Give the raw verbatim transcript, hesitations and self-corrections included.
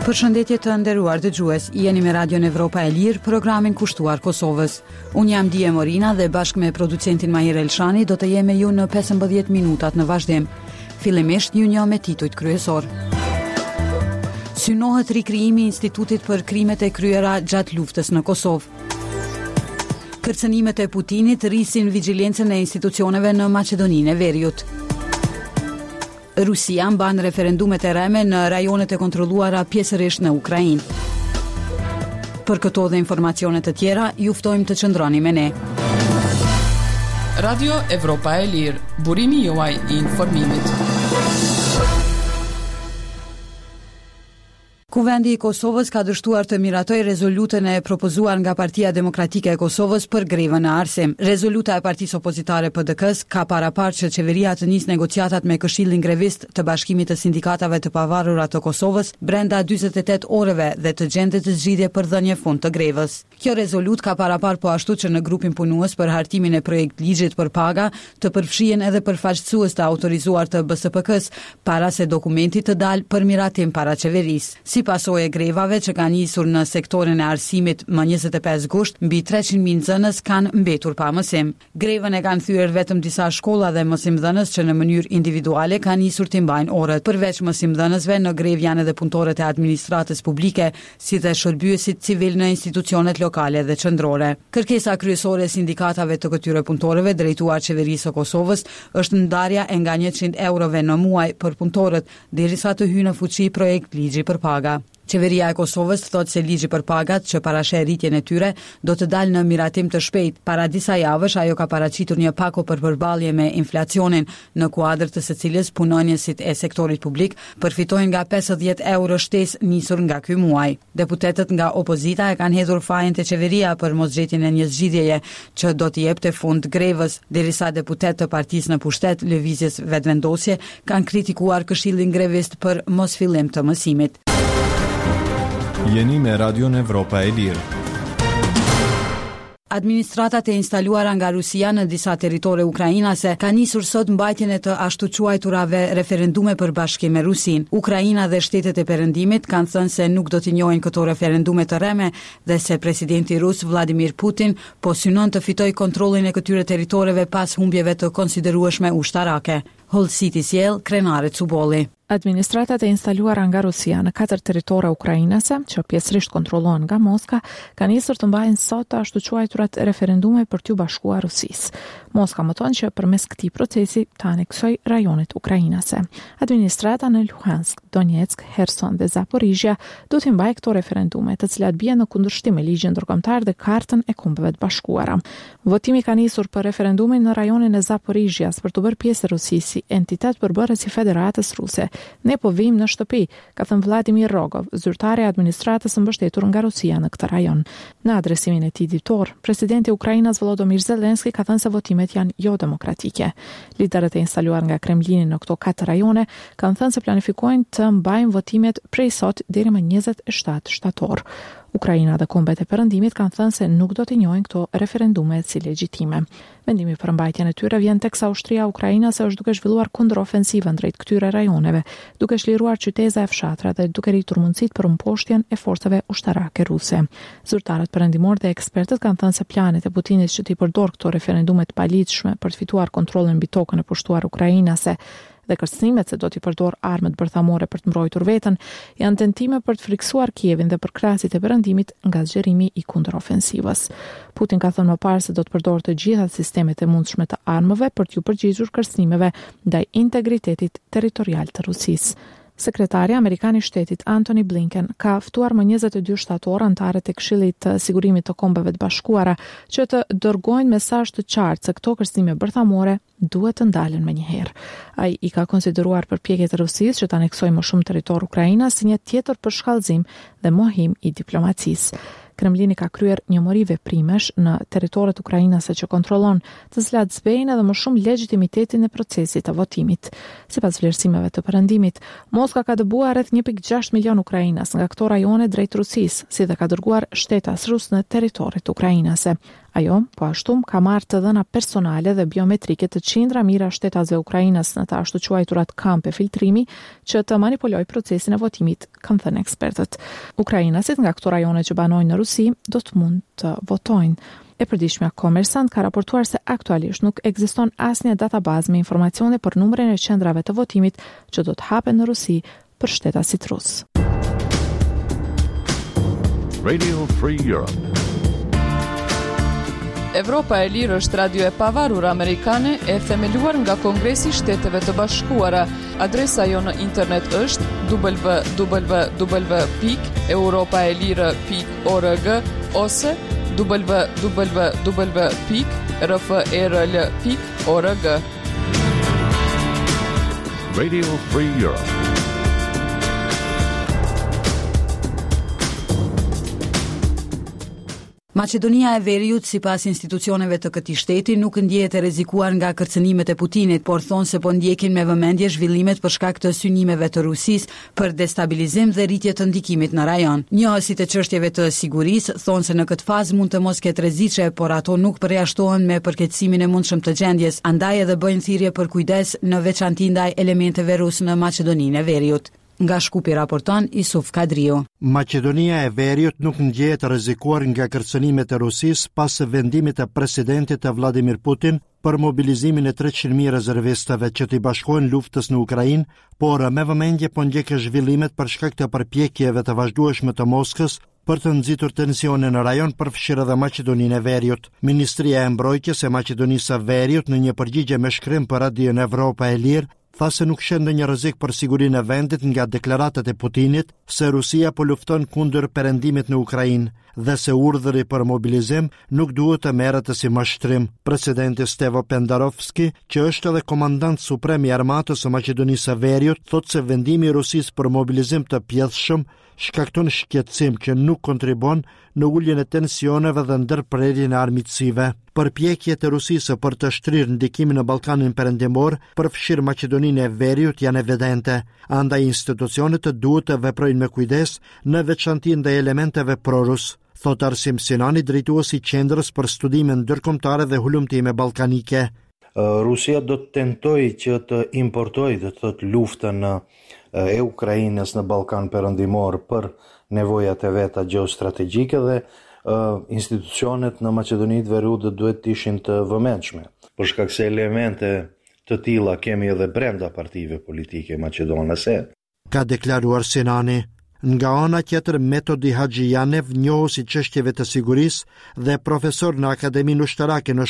Përshëndetje të nderuar dëgjues, jeni me Radion Evropa e Lirë, programin kushtuar Kosovës. Unë jam Die Morina dhe bashkë me producentin Mahir Elshani do të jem me ju në pesëmbëdhjetë minutat në vazhdim. Fillimisht ju njoh me titujt kryesor. Synohet rikrijimi i Institutit për krimet e kryera gjatë luftës në Kosovë. Kërcënimet e Putinit rrisin vigjilencën e institucioneve në Maqedoninë e Veriut. Rusia mban referendumet e rreme në rajonet e kontrolluara pjesërisht në Ukrainë. Për këto dhe informacione të tjera, ju ftojmë të qëndroni me ne. Radio Evropa e Lirë, burimi juaj i informimit. Kuvendi i Kosovës ka dështuar të miratojë rezolutën e propozuar nga Partia Demokratike e Kosovës për grevën në arsim. Rezoluta e partisë opozitare P D K-s ka paraparë që qeveria të nisë negociatat me Këshillin Grevist të Bashkimit të Sindikatave të Pavarura të Kosovës brenda dyzet e tetë orëve dhe të gjendet zgjidhje për dhënie fund të grevës. Kjo rezolutë ka paraparë po ashtu që në grupin punues për hartimin e projekt ligjit për paga të përfshihen edhe përfaqësues të autorizuar të B S P K-s para se dokumenti të dalë për miratim para qeverisë. Si pasojë e grevave që kanë nisur në sektorin e arsimit më njëzet e pesë gusht, mbi treqind mijë nxënës kanë mbetur pa mësim. Grevën e kanë thyer vetëm disa shkolla dhe mësimdhënës që në mënyrë individuale kanë nisur të mbajnë orët. Përveç mësimdhënësve, në grevë janë edhe punëtorët e administratës publike, si dhe shërbyesit civil në institucionet lokale dhe qendrore. Kërkesa kryesore e sindikatave të këtyre punëtorëve drejtuar qeverisë së Kosovës është ndarja e nga njëqind eurove në muaj për punëtorët, derisa të hyjë në fuqi projekt ligji për paga. Qeveria e Kosovës thotë se ligji për pagat që parasheh rritjen e tyre do të dalë në miratim të shpejt. Para disa javësh ajo ka paraqitur një pako për përballje me inflacionin, në kuadër të së cilës punonjësit e sektorit publik përfitojnë nga pesëdhjetë euro shtesë nisur nga ky muaj. Deputetët nga opozita e kanë hedhur fajin te qeveria për mosgjetjen e një zgjidhjeje që do t'i jepte fund grevës, derisa deputetë të partisë në pushtet, Lëvizjes Vetëvendosje, kanë kritikuar Këshillin Grevist për mosfillim të mësimit. Jeni me Radion Evropa e Lirë. Administratat e instaluara nga Rusia në disa territore ukrainase kanë nisur sot mbajtjen e të ashtu quajturave referendume për bashkim me Rusinë. Ukraina dhe shtetet e perëndimit kanë thënë se nuk do t'i njohin këto referendume të rreme dhe se presidenti rus Vladimir Putin po synon të fitojë kontrollin e këtyre territoreve pas humbjeve të konsiderueshme ushtarake. Hollësitë i sjell Krenare Cubolli. Administratat e instaluara nga Rusia në katër territore ukrainase, që pjesërisht kontrollohen nga Moska, kanë nisur të mbajnë sot të ashtu quajturat referendume për t'ju bashkuar Rusisë. Moska mëton që përmes këtij procesi të aneksoj rajonet ukrainase. Administrata në Luhansk, Donetsk, Herson dhe Zaporizhia do t'i mbajë këto referendume, të cilat bien në kundërshtim me ligjin ndërkombëtar dhe Kartën e Kombeve të Bashkuara. Votimi ka nisur për referendumin në rajonin e Zaporizhias për të bërë pjesë e Rusisë si entitet përbërës i Federatës Ruse. "Ne po vijmë në shtëpi", ka thënë Vladimir Rogov, zyrtari i administratës së mbështetur nga Rusia në këtë rajon. Në adresimin e tij ditor, presidenti ukrainas Volodymyr Zelensky ka thënë se votimet janë jo demokratike. Liderët e instaluar nga Kremlini në këto katër rajone kanë thënë se planifikojnë të mbajnë votimet prej sot deri më njëzet e shtatë shtator. Ukraina dhe kombet e perëndimit kanë thënë se nuk do t'i njohin këto referendume si legjitime. Vendimi për mbajtjen e tyre vjen teksa ushtria ukrainase është duke zhvilluar kundërofensivën drejt këtyre rajoneve, duke çliruar qyteza e fshatra dhe duke rritur mundësitë për mposhtjen e forcave ushtarake ruse. Zyrtarët perëndimor dhe ekspertët kanë thënë se planet e Putinit që t'i përdor këto referendume të paligjshme për të fituar kontrollin mbi tokën e pushtuar ukrainase dhe kërcënimet se do t'i përdor armët bërthamore për të mbrojtur veten, janë tentime për të friksuar Kievin dhe përkrahësit e perëndimit nga zgjerimi i kundërofensivës. Putin ka thënë më parë se do të përdor të gjitha sistemet e mundshme të armëve për t'ju përgjigjur kërcënimeve ndaj integritetit territorial të Rusisë. Sekretari amerikan i shtetit Antony Blinken ka ftuar më njëzet e dy shtator anëtarët e Këshillit të Sigurimit të Kombeve të Bashkuara që të dërgojnë mesazh të qartë se këto kërcënime bërthamore duhet të ndalen menjëherë. Ai i ka konsideruar përpjekjet e Rusisë që të aneksojë më shumë territor Ukraina si një tjetër përshkallëzim dhe mohim i diplomacisë. Kremlini ka kryer një mori veprimesh në territoret ukrainase që kontrollon, të cilat zbejnë edhe më shumë legjitimitetin e procesit të votimit. Sipas vlerësimeve të perëndimit, Moska ka dëbuar rreth një pikë gjashtë milion ukrainas nga këto rajone drejt Rusisë, si dhe ka dërguar shtetas rus në territoret ukrainase. Ajo, po ashtu, ka marrë të dhëna personale dhe biometrike të qindra mijëra shtetasve ukrainas në të ashtuquajturat kampe filtrimi që të manipulojë procesin e votimit, kanë thënë ekspertët. Ukrainasit nga këto rajone që banojnë në Rusi do të mund të votojnë. E përditshmja Kommersant ka raportuar se aktualisht nuk ekziston asnjë databazë me informacione për numrin e qendrave të votimit që do të hapen në Rusi për shtetasit rus. Radio Free Europe. Evropa e Lirë është radio e pavarur amerikane e themeluar nga Kongresi i Shteteve të Bashkuara. Adresa jonë në internet është w w w pikë europaelire pikë org ose w w w pikë r f e r l pikë org. Radio Free Europe. Maqedonia e Veriut, sipas institucioneve të këtij shteti, nuk ndjehet e rrezikuar nga kërcënimet e Putinit, por thonë se po ndjekin me vëmendje zhvillimet për shkak të synimeve të Rusisë për destabilizim dhe rritje të ndikimit në rajon. Njohësit e çështjeve të sigurisë thonë se në këtë fazë mund të mos ketë rreziqe, por ato nuk përjashtohen me përkeqësimin e mundshëm të gjendjes, andaj edhe bëjnë thirrje për kujdes në veçanti ndaj elementeve rusë në Maqedoninë e Veriut. Nga Shkupi raporton Isuf Kadriu. Maqedonia e Veriut nuk ndjehet rrezikuar nga kërcënimet e Rusisë pas vendimit të presidentit të Vladimir Putin për mobilizimin e treqind mijë rezervistëve që t'i bashkohen luftës në Ukrainë, por me vëmendje po ndjek zhvillimet për shkak të përpjekjeve të vazhdueshme të Moskës për të nxitur tensione në rajon, përfshirë edhe Maqedoninë e Veriut. Ministria e Mbrojtjes e Maqedonisë së Veriut, në një përgjigje me shkrim për Radion Evropa e Lirë, tha se nuk sheh ndonjë rrezik për sigurinë e vendit nga deklaratat e Putinit se Rusia po lufton kundër perëndimit në Ukrainë dhe se urdhri për mobilizim nuk duhet të merret si mashtrim. Presidenti Stevo Pendarovski, që është edhe komandant suprem i armatës së Maqedonisë së Veriut, thotë se vendimi i Rusisë për mobilizim të pjesshëm shkakton shqetësim që nuk kontribuon në uljen e tensioneve dhe ndërprerjen e armiqësive. Përpjekjet e Rusisë për të shtrirë ndikimin në Ballkanin Perëndimor, përfshirë Maqedoninë e Veriut, janë evidente. Andaj institucionet duhet të veprojnë me kujdes, në veçanti ndaj elementeve prorus, thot Arsim Sinani, drejtues i Qendrës për Studime Ndërkombëtare dhe Hulumtime Ballkanike. Rusia do të tentojë që të importojë, do të thotë, luftën e Ukrainës në Ballkan Perëndimor për nevojat e veta gjeostrategjike dhe institucionet në Maqedoni të Veriut do duhet të ishin të vëmendshme. Për shkak se elemente të tilla kemi edhe brenda partive politike maqedonase. Ka deklaruar Sinani. Nga ana tjetër, Metodi Haxhijanev, njohës i çështjeve të sigurisë dhe profesor në Akademinë Ushtarake në